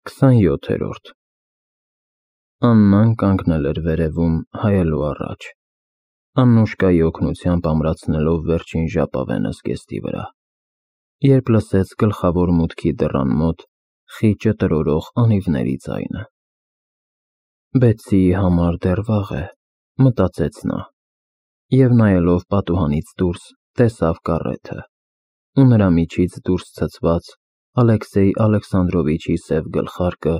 27-րդ Աննան կանգնել էր վերևում, հայելու առաջ, Աննուշկայի օգնությամբ ամրացնելով վերջին ժապավենը զգեստի վրա, երբ լսեց գլխավոր մուտքի դռան մոտ խիճը տրորող անիվների ձայնը։ Բեցիի համար դեռ վաղ է, մտածեց նա, և նայելով պատուհանից դուրս տեսավ կառեթը, ու նրա միջից դուրս ցցված Ալեքսեյ Ալեքսանդրովիչի սև գլխարկը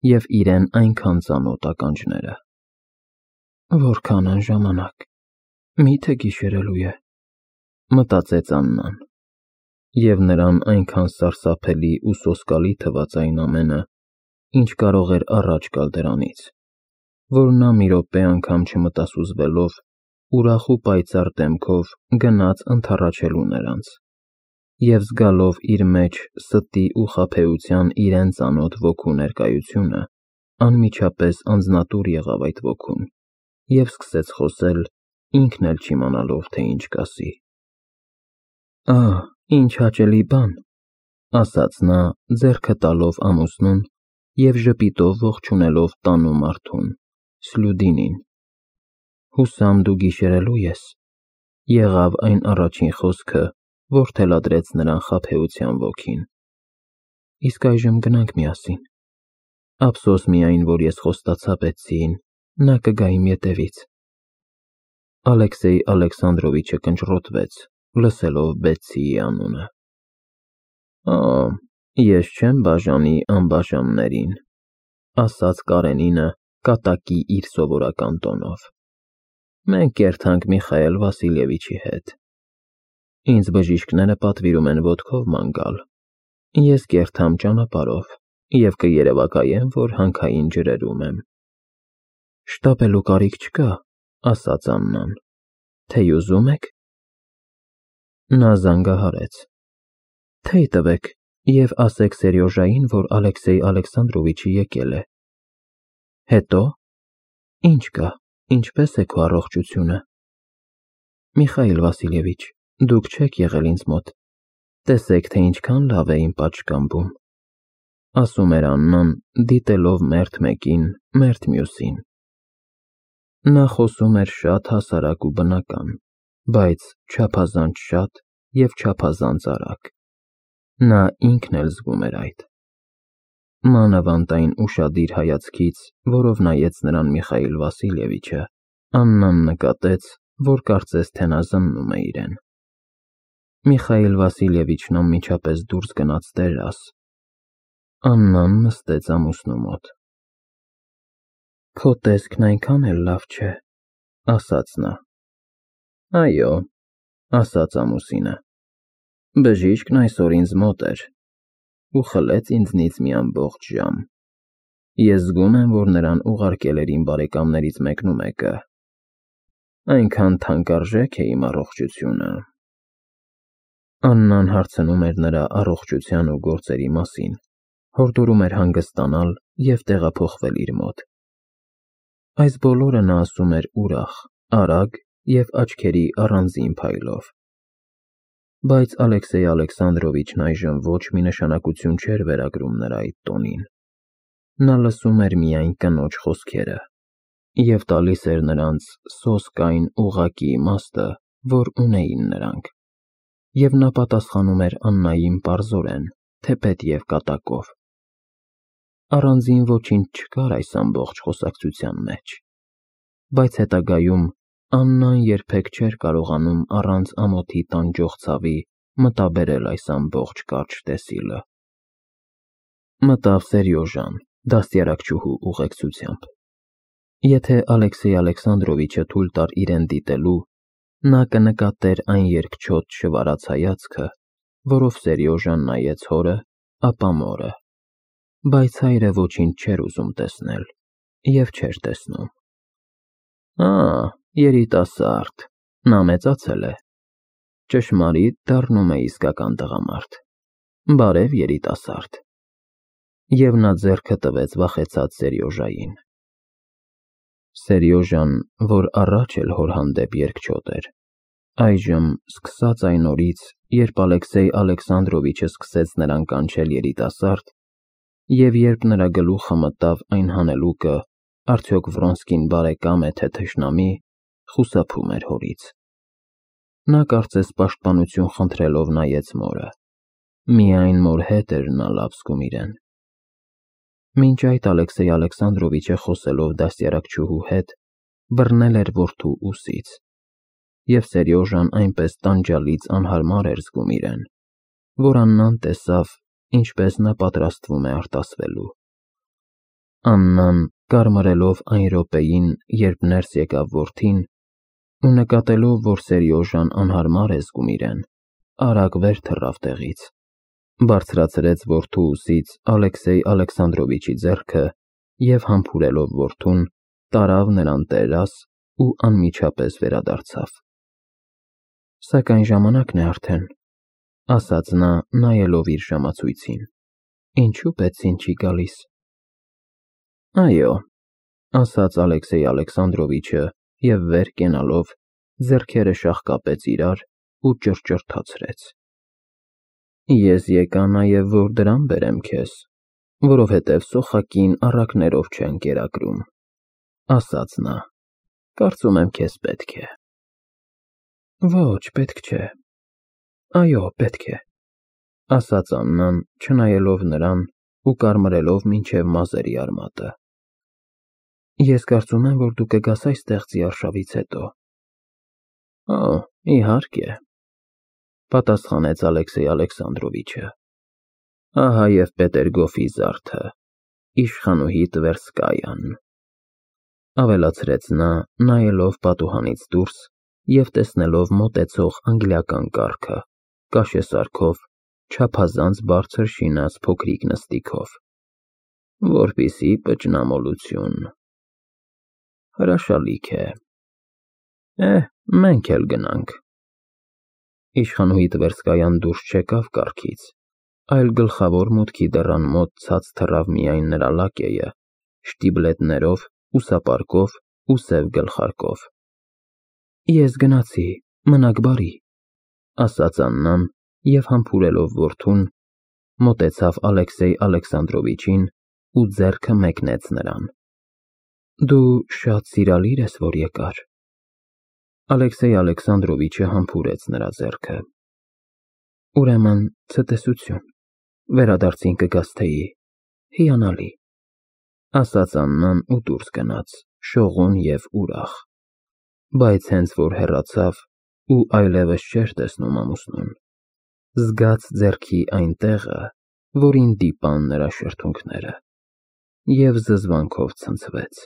և իրեն այնքան ծանոթ ականջները։ Որքան են ժամանակ, միթե գիշերելու է, մտածեց Աննան, և նրան այնքան սարսափելի ու սոսկալի թվաց այն ամենը, ինչ կարող էր առաջ գալ դրանից, որ նա մի րոպե անգամ չմտասուզվելով, ուրախ ու պայծառ դեմքով գնաց ընդառաջելու նրանց, և զգալով իր մեջ ստի ու խաբեության իրեն ծանոթ ոգու ներկայությունը, անմիջապես անձնատուր եղավ այդ ոգուն և սկսեց խոսել, ինքն էլ չիմանալով, թե ինչ կասի։ Ահ, ինչ հաճելի բան, ասաց նա, ձեռքը տալով ամուսնուն և ժպիտով ողջունելով տանու մարդուն, Սլյուդինին։ Հուսամ դու գիշերելու ես, եղավ այն առաջին խոսքը, որ թելադրեց նրան խաբեության ոգին։ Իսկ այժմ գնանք միասին։ Ափսոս միայն, որ ես խոստացա Բեցիին, նա կգա իմ ետևից։ Ալեքսեյ Ալեքսանդրովիչը կնճռոտվեց, լսելով Բեցիի անունը։ Օ, ես չեմ բաժանի անբաժաններին, ասաց Կարենինը կատակի իր սովորական տոնով։ Մենք կերթանք Միխայել Վասիլևիչի հետ։ Ինձ բժիշկները պատվիրում են ոտքով ման գալ, ես կերթամ ճանապարհով և կերևակայեմ, որ հանքային ջրերում եմ։ Շտապելու կարիք չկա, ասաց Աննան, թեյ ուզում եք։ Նա զանգահարեց։ Թեյ տվեք և ասեք Սերյոժային, որ Ալեքսեյ Ալեքսանդրովիչը եկել է։ Հետո։ Ինչ կա, ինչպես է քո առողջությունը։ Միխայել Վասիլևիչ, դուք չեք եղել ինձ մոտ, տեսեք, թե ինչքան լավ է իմ պատշգամբում, ասում էր Աննան, դիտելով մերթ մեկին, մերթ մյուսին։ Նա խոսում էր շատ հասարակ ու բնական, բայց չափազանց շատ և չափազանց արագ։ Նա ինքն էլ զգում էր այդ։ Մանավանդ այն ուշադիր հայացքից, որով նայեց նրան Միխայել Վասիլևիչը, Աննան նկատեց, որ կարծես թե նա զննում է իրեն։ Միխայել Վասիլևիչն անմիջապես դուրս գնաց տերաս։ Աննան նստեց ամուսնու մոտ։ Քո տեսքն այնքան էլ լավ չէ, ասաց նա։ Այո, ասաց ամուսինը, բժիշկն այսօր ինձ մոտ էր ու խլեց ինձնից մի ամբողջ ժամ։ Ես զգում եմ, որ նրան ուղարկել էր իմ բարեկամներից մեկնումեկը։ Այնքան թանկարժեք է իմ առողջությունը։ Աննան հարցնում էր նրա առողջության ու գործերի մասին, հորդորում էր հանգստանալ և տեղափոխվել իր մոտ։ Այս բոլորը նա ասում էր ուրախ, արագ և աչքերի առանձին փայլով։ Բայց Ալեքսեյ Ալեքսանդրովիչն այժմ ոչ մի նշանակություն չէր վերագրում նրա այդ տոնին։ Նա լսում էր միայն կնոջ խոսքերը և տալիս էր նրանց սոսկ այն ուղղակի իմաստը, որ ունեին նրանք, և նա պատասխանում էր Աննային պարզորեն, թեպետ և կատակով։ Առանձին ոչինչ չկար այս ամբողջ խոսակցության մեջ, բայց հետագայում Աննան երբեք չէր կարողանում առանց ամոթի տանջող ցավի մտաբերել այս ամբողջ կարճ տեսիլը։ Մտավ Սերյոժան, դաստիարակչուհու ուղեկցությամբ։ Եթե Ալեքսեյ Ալեքսանդրովիչը թույլ տար իրեն դիտելու, նա կնկատեր այն երկչոտ շվարած հայացքը, որով Սերյոժան նայեց հորը, ապա մորը, բայց հայրը ոչինչ չէր ուզում տեսնել և չէր տեսնում։ Երիտասարդ, նա մեծացել է, ճշմարիտ դառնում է իսկական տղամարդ, բարև երիտասարդ։ Եվ նա ձեռքը տվեց վախեցած Սերյոժային։ Սերյոժան, որ առաջ էլ հոր հանդեպ երկչոտ էր, այժմ, սկսած այն օրից, երբ Ալեքսեյ Ալեքսանդրովիչը սկսեց նրան կանչել երիտասարդ, Եվ երբ նրա գլուխը մտավ այն հանելուկը, արդյոք Վրոնսկին բարեկամ է, թե թշնամի, խուսափում էր հորից։ Նա կարծես պաշտպանություն խնդրելով նայեց մորը։ Միայն մոր հետ էր նա լավ զգում իրեն։ Մինչ այդ Ալեքսեյ Ալեքսանդրովիչը խոսելով դաստիարակչուհու հետ բռնել էր որդու ուսից, և Սերյոժան այնպես տանջալից անհարմար էր զգում իրեն, որ Աննան տեսավ, ինչպես նա պատրաստվում է արտասվելու։ Աննան, կարմրելով այն րոպեին, երբ ներս եկավ որդին, ու նկատելով, որ Սերյոժան անհարմար է զգում իրեն, արագ վեր թռավ տեղից, բարձրացրեց որդու ուսից Ալեքսեյ Ալեքսանդրովիչի ձեռքը և համբուրելով որդուն, տարավ նրան տերաս ու անմիջապես վերադարձավ։ Սակայն ժամանակն է արդեն, ասաց նա, նայելով իր ժամացույցին, ինչու Պեցին չի գալիս։ Այո, ասաց Ալեքսեյ Ալեքսանդրովիչը և վեր կենալով ձեռքերը շաղկապեց իրար ու ճռճռթացրեց։ Ես եկա նաև, որ դրամ բերեմ քեզ, որովհետև սոխակին առակներով չեն կերակրում, ասաց նա, կարծում եմ քեզ պետք է։ Ոչ, պետք չէ։ Այո, պետք է, ասաց Աննան, չնայելով նրան ու կարմրելով մինչև մազերի արմատը։ Ես կարծում եմ, որ դու կգաս այստեղ ձիարշավից հետո։ Օ, իհարկե, պատասխանեց Ալեքսեյ Ալեքսանդրովիչը։ Ահա և Պետերգոֆի զարդը, իշխանուհի Տվերսկայան, ավելացրեց նա, նայելով պատուհանից դուրս և տեսնելով մոտեցող անգլիական կառքը, կաշեսարքով, չափազանց բարձր շինած փոքրիկ նստիքով, որպիսի պճնամոլություն։ Հրաշալիք է։ Մենք էլ գնանք։ Իշխանուհի Տվերսկայան դուրս չեկավ կառքից, այլ գլխավոր մուտքի դռան մոտ ցած թռավ միայն նրա լակեյը, շտիբլետներով, ուսապարկով ու սև գլխարկով։ Ես գնացի, մնաք բարի, ասաց Աննան և համբուրելով որդուն, մոտեցավ Ալեքսեյ Ալեքսանդրովիչին ու ձեռքը մեկնեց նրան։ Դու շատ սիրալիր ես, որ եկար։ Ալեքսեյ Ալեքսանդրովիչը համբուրեց նրա ձեռքը։ Ուրեմն ցտեսություն, վերադարձին կգաս թեյի, հիանալի, ասաց Աննան ու դուրս գնաց, շողուն և ուրախ, բայց հենց որ հեռացավ ու այլևս չէր տեսնում ամուսնուն, զգաց ձեռքի այն տեղը, որին դիպան նրա շրթունքները, և զզվանքով ցնցվեց։